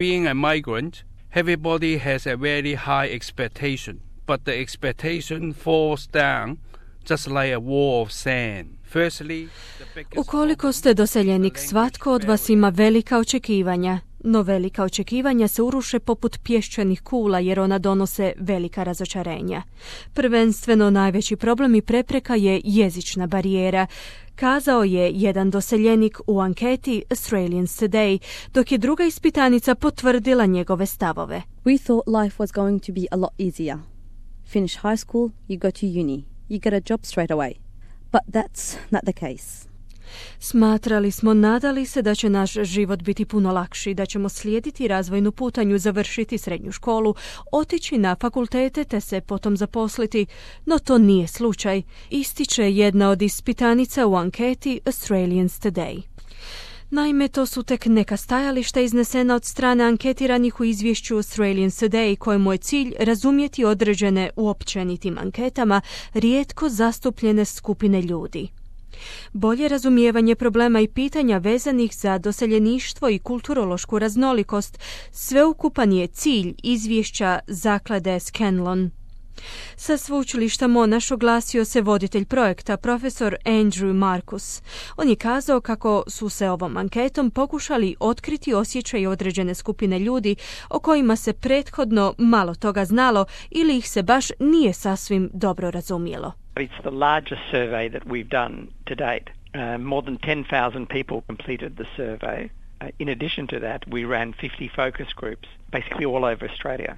Being a migrant, everybody has a very high expectation, but the expectation falls down just like a wall of sand. Ukoliko ste doseljenik, svatko od vas ima velika očekivanja, no velika očekivanja se uruše poput pješčanih kula jer ona donose velika razočarenja. Prvenstveno najveći problem i prepreka je jezična barijera, kazao je jedan doseljenik u anketi Australians Today, dok je druga ispitanica potvrdila njegove stavove. We thought life was going to be a lot easier. Finish high school, you go to uni, you get a job straight away. But that's not the case. Smatrali smo, nadali se da će naš život biti puno lakši, da ćemo slijediti razvojnu putanju, završiti srednju školu, otići na fakultete te se potom zaposliti, no to nije slučaj, ističe jedna od ispitanica u anketi Australians Today. Naime, to su tek neka stajališta iznesena od strane anketiranih u izvješću Australians Today, kojemu je cilj razumjeti određene u općenitim anketama rijetko zastupljene skupine ljudi. Bolje razumijevanje problema i pitanja vezanih za doseljeništvo i kulturološku raznolikost sveukupan je cilj izvješća zaklade Scanlon. Sa sveučilišta Monash oglasio se voditelj projekta, profesor Andrew Marcus. On je kazao kako su se ovom anketom pokušali otkriti osjećaje određene skupine ljudi o kojima se prethodno malo toga znalo ili ih se baš nije sasvim dobro razumjelo. It's the largest survey that we've done to date. More than 10,000 people completed the survey. In addition to that, we ran 50 focus groups, basically all over Australia.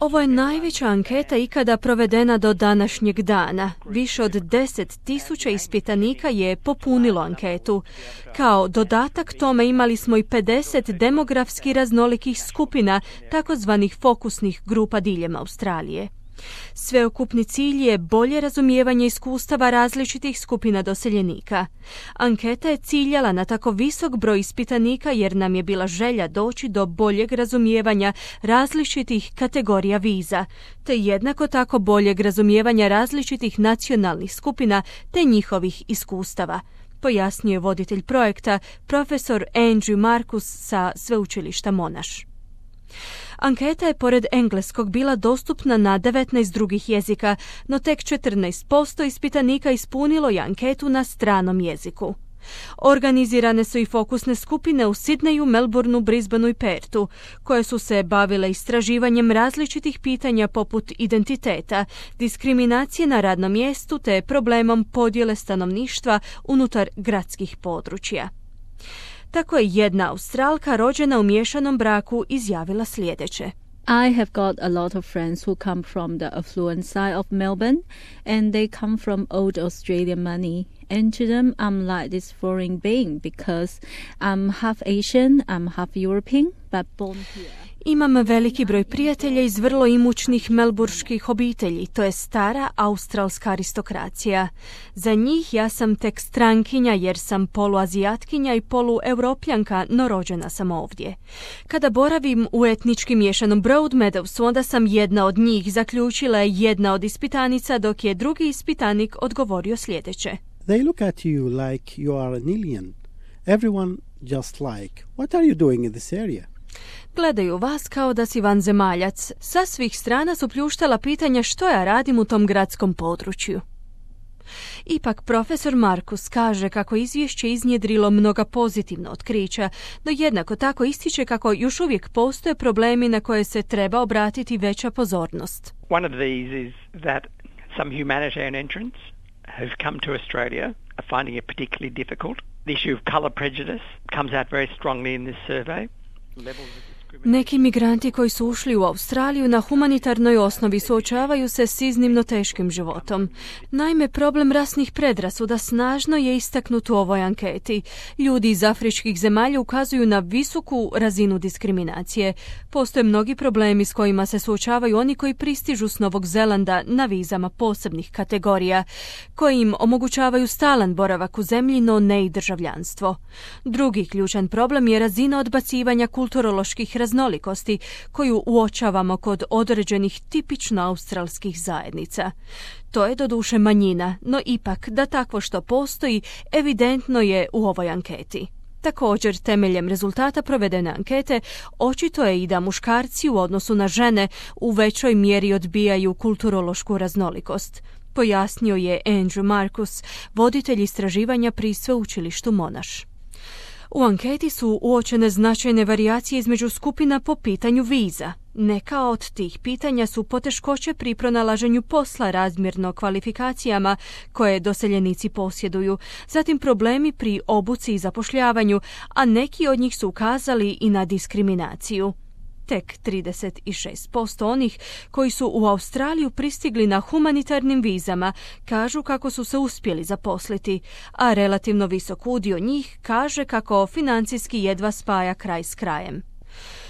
Ovo je najveća anketa ikada provedena do današnjeg dana. Više od 10,000 ispitanika je popunilo anketu. Kao dodatak tome imali smo i 50 demografski raznolikih skupina, takozvanih fokusnih grupa diljem Australije. Sveukupni cilj je bolje razumijevanje iskustava različitih skupina doseljenika. Anketa je ciljala na tako visok broj ispitanika jer nam je bila želja doći do boljeg razumijevanja različitih kategorija viza, te jednako tako boljeg razumijevanja različitih nacionalnih skupina te njihovih iskustava, pojasnio je voditelj projekta, profesor Andrew Marcus sa sveučilišta Monash. Anketa je pored engleskog bila dostupna na 19 drugih jezika, no tek 14% ispitanika ispunilo je anketu na stranom jeziku. Organizirane su i fokusne skupine u Sidneju, Melbourneu, Brisbaneu i Perthu, koje su se bavile istraživanjem različitih pitanja poput identiteta, diskriminacije na radnom mjestu te problemom podjele stanovništva unutar gradskih područja. Tako je jedna Australka rođena u miješanom braku izjavila sljedeće. I have got a lot of friends who come from the affluent side of Melbourne and they come from old Australian money. And to them I'm like this foreign being because I'm half Asian, I'm half European, but born here. Imam veliki broj prijatelja iz vrlo imućnih melburških obitelji, to je stara australska aristokracija. Za njih ja sam tek strankinja jer sam poluazijatkinja i polueuropljanka, no rođena sam ovdje. Kada boravim u etnički miješanom Broadmeadowsu, onda sam jedna od njih, zaključila je jedna od ispitanica, dok je drugi ispitanik odgovorio sljedeće. They look at you like you are an alien. Everyone just like, what are you doing in this area? Gledaju vas kao da si vanzemaljac. Sa svih strana su pljuštala pitanja što ja radim u tom gradskom području. Ipak profesor Marcus kaže kako izvješće iznjedrilo mnoga pozitivna otkrića, no jednako tako ističe kako još uvijek postoje problemi na koje se treba obratiti veća pozornost. One of these is that some humanitarian entrants who've come to Australia are finding it particularly difficult. The issue of colour prejudice comes out very strongly in this survey. Neki migranti koji su ušli u Australiju na humanitarnoj osnovi suočavaju se s iznimno teškim životom. Naime, problem rasnih predrasuda snažno je istaknut u ovoj anketi. Ljudi iz afričkih zemalja ukazuju na visoku razinu diskriminacije. Postoje mnogi problemi s kojima se suočavaju oni koji pristižu s Novog Zelanda na vizama posebnih kategorija, koji im omogućavaju stalan boravak u zemlji, no ne i državljanstvo. Drugi ključan problem je razina odbacivanja kulturoloških raznolikosti koju uočavamo kod određenih tipično australskih zajednica. To je doduše manjina, no ipak da takvo što postoji evidentno je u ovoj anketi. Također, temeljem rezultata provedene ankete, očito je i da muškarci u odnosu na žene u većoj mjeri odbijaju kulturološku raznolikost, pojasnio je Andrew Marcus, voditelj istraživanja pri sveučilištu Monash. U anketi su uočene značajne varijacije između skupina po pitanju viza. Neka od tih pitanja su poteškoće pri pronalaženju posla razmjerno kvalifikacijama koje doseljenici posjeduju, zatim problemi pri obuci i zapošljavanju, a neki od njih su ukazali i na diskriminaciju. Tek 36% onih koji su u Australiju pristigli na humanitarnim vizama kažu kako su se uspjeli zaposliti, a relativno visok udio njih kaže kako financijski jedva spaja kraj s krajem.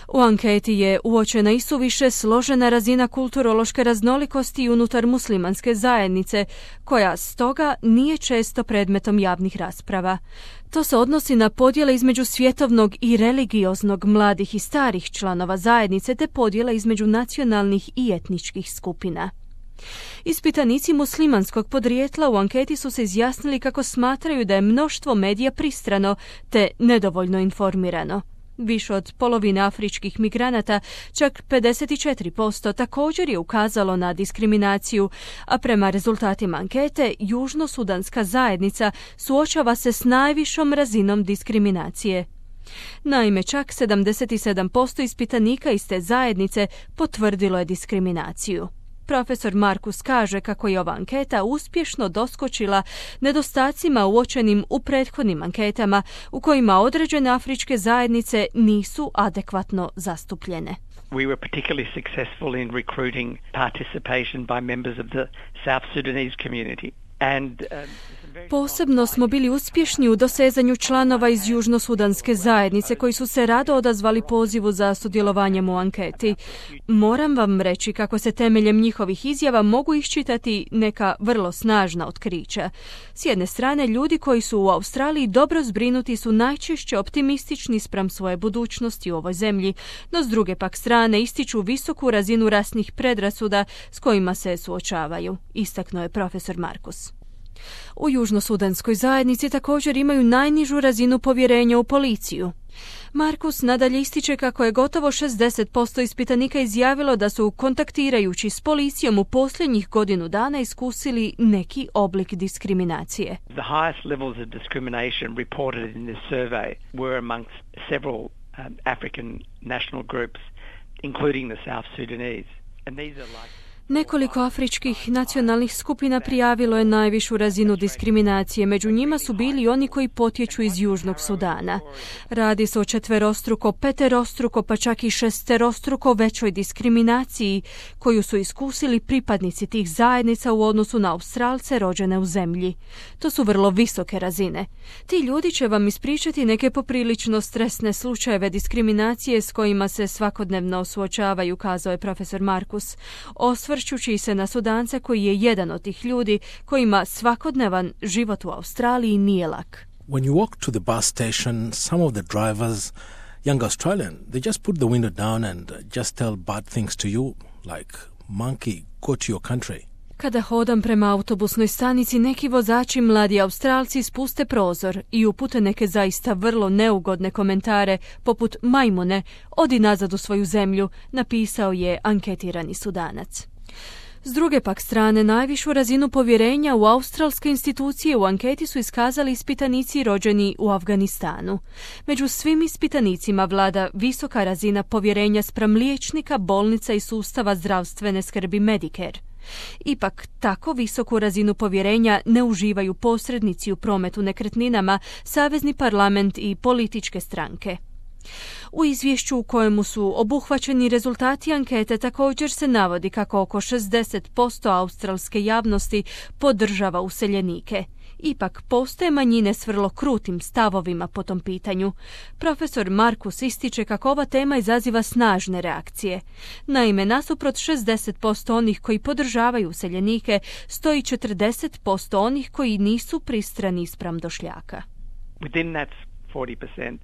U anketi je uočena i suviše složena razina kulturološke raznolikosti unutar muslimanske zajednice, koja stoga nije često predmetom javnih rasprava. To se odnosi na podjele između svjetovnog i religioznog mladih i starih članova zajednice te podjele između nacionalnih i etničkih skupina. Ispitanici muslimanskog podrijetla u anketi su se izjasnili kako smatraju da je mnoštvo medija pristrano te nedovoljno informirano. Više od polovine afričkih migranata, čak 54%, također je ukazalo na diskriminaciju, a prema rezultatima ankete, južnosudanska zajednica suočava se s najvišom razinom diskriminacije. Naime, čak 77% ispitanika iz te zajednice potvrdilo je diskriminaciju. Profesor Marcus kaže kako je ova anketa uspješno doskočila nedostacima uočenim u prethodnim anketama u kojima određene afričke zajednice nisu adekvatno zastupljene. We were particularly successful in recruiting participation by members of the South Sudanese community. Posebno smo bili uspješni u dosezanju članova iz južnosudanske zajednice koji su se rado odazvali pozivu za sudjelovanjem u anketi. Moram vam reći kako se temeljem njihovih izjava mogu iščitati neka vrlo snažna otkrića. S jedne strane, ljudi koji su u Australiji dobro zbrinuti su najčešće optimistični spram svoje budućnosti u ovoj zemlji, no s druge pak strane ističu visoku razinu rasnih predrasuda s kojima se suočavaju, istaknuo je profesor Marcus. U južnosudanskoj zajednici također imaju najnižu razinu povjerenja u policiju. Marcus nadalje ističe kako je gotovo 60% ispitanika izjavilo da su kontaktirajući s policijom u posljednjih godinu dana iskusili neki oblik diskriminacije. The highest levels of discrimination reported in this survey were amongst several African national groups, including the South Sudanese. And these are like Nekoliko afričkih nacionalnih skupina prijavilo je najvišu razinu diskriminacije. Među njima su bili oni koji potječu iz Južnog Sudana. Radi se o četverostruko, peterostruko, pa čak i šesterostruko većoj diskriminaciji koju su iskusili pripadnici tih zajednica u odnosu na Australce rođene u zemlji. To su vrlo visoke razine. Ti ljudi će vam ispričati neke poprilično stresne slučajeve diskriminacije s kojima se svakodnevno suočavaju, kazao je profesor Marcus, osvrćući se na Sudance koji je jedan od tih ljudi kojima svakodnevan život u Australiji nije lak. When you walk to the bus station, some of the drivers, young Australian, they just put the window down and just tell bad things to you, like, monkey, go to your country. Kada hodam prema autobusnoj stanici, neki vozači mladi Australci spuste prozor i upute neke zaista vrlo neugodne komentare, poput majmune, odi nazad u svoju zemlju, napisao je anketirani Sudanac. S druge pak strane, najvišu razinu povjerenja u australske institucije u anketi su iskazali ispitanici rođeni u Afganistanu. Među svim ispitanicima vlada visoka razina povjerenja spram liječnika, bolnica i sustava zdravstvene skrbi Medicare. Ipak, tako visoku razinu povjerenja ne uživaju posrednici u prometu nekretninama, savezni parlament i političke stranke. U izvješću u kojemu su obuhvaćeni rezultati ankete također se navodi kako oko 60% australske javnosti podržava useljenike. Ipak postoje manjine s vrlo krutim stavovima po tom pitanju. Profesor Marcus ističe kako ova tema izaziva snažne reakcije. Naime, nasuprot 60% onih koji podržavaju useljenike, stoji 40% onih koji nisu pristrani spram došljaka. Within that 40%,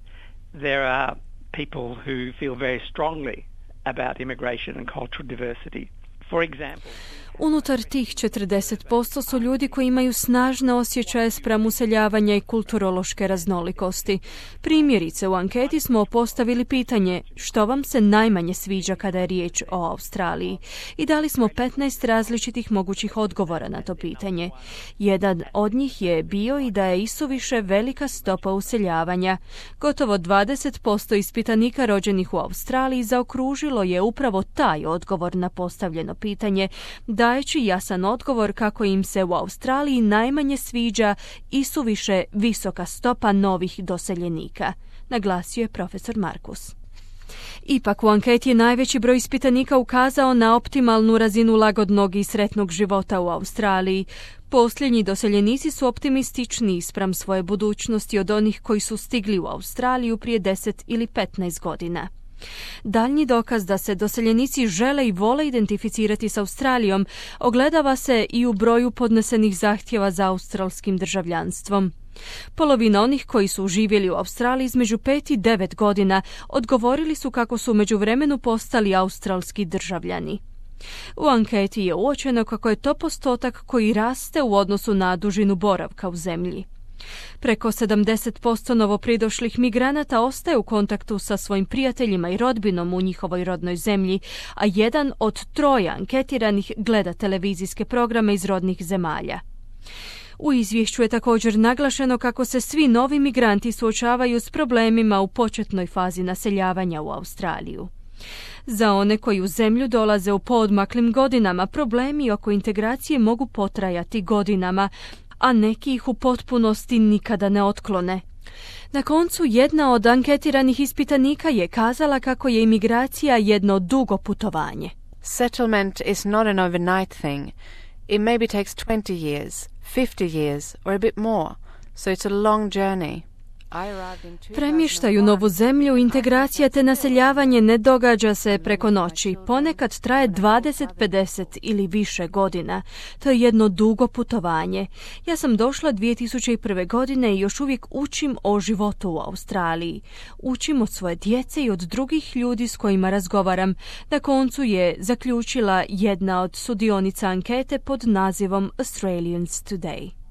there are people who feel very strongly about immigration and cultural diversity. For example, Unutar tih 40% su ljudi koji imaju snažne osjećaje spram useljavanja i kulturološke raznolikosti. Primjerice, u anketi smo postavili pitanje što vam se najmanje sviđa kada je riječ o Australiji i dali smo 15 različitih mogućih odgovora na to pitanje. Jedan od njih je bio i da je isuviše velika stopa useljavanja. Gotovo 20% ispitanika rođenih u Australiji zaokružilo je upravo taj odgovor na postavljeno pitanje, dajeći jasan odgovor kako im se u Australiji najmanje sviđa isuviše visoka stopa novih doseljenika, naglasio je profesor Markus. Ipak u anketi je najveći broj ispitanika ukazao na optimalnu razinu lagodnog i sretnog života u Australiji. Posljednji doseljenici su optimističniji spram svoje budućnosti od onih koji su stigli u Australiju prije 10 ili 15 godina. Daljnji dokaz da se doseljenici žele i vole identificirati s Australijom ogledava se i u broju podnesenih zahtjeva za australskim državljanstvom. Polovina onih koji su živjeli u Australiji između 5 i 9 godina odgovorili su kako su u međuvremenu postali australski državljani. U anketi je uočeno kako je to postotak koji raste u odnosu na dužinu boravka u zemlji. Preko 70% novopridošlih migranata ostaje u kontaktu sa svojim prijateljima i rodbinom u njihovoj rodnoj zemlji, a 1 od 3 anketiranih gleda televizijske programe iz rodnih zemalja. U izvješću je također naglašeno kako se svi novi migranti suočavaju s problemima u početnoj fazi naseljavanja u Australiju. Za one koji u zemlju dolaze u poodmaklim godinama, problemi oko integracije mogu potrajati godinama, a neki ih u potpunosti nikada ne otklone. Na koncu, jedna od anketiranih ispitanika je kazala kako je imigracija jedno dugo putovanje. Settlement is not an overnight thing. It maybe takes 20 years, 50 years or a bit more, so it's a long journey. Premještaj u novu zemlju, integracija te naseljavanje ne događa se preko noći. Ponekad traje 20, 50 ili više godina. To je jedno dugo putovanje. Ja sam došla 2001. godine i još uvijek učim o životu u Australiji. Učim od svoje djece i od drugih ljudi s kojima razgovaram. Na koncu je zaključila jedna od sudionica ankete pod nazivom Australians Today.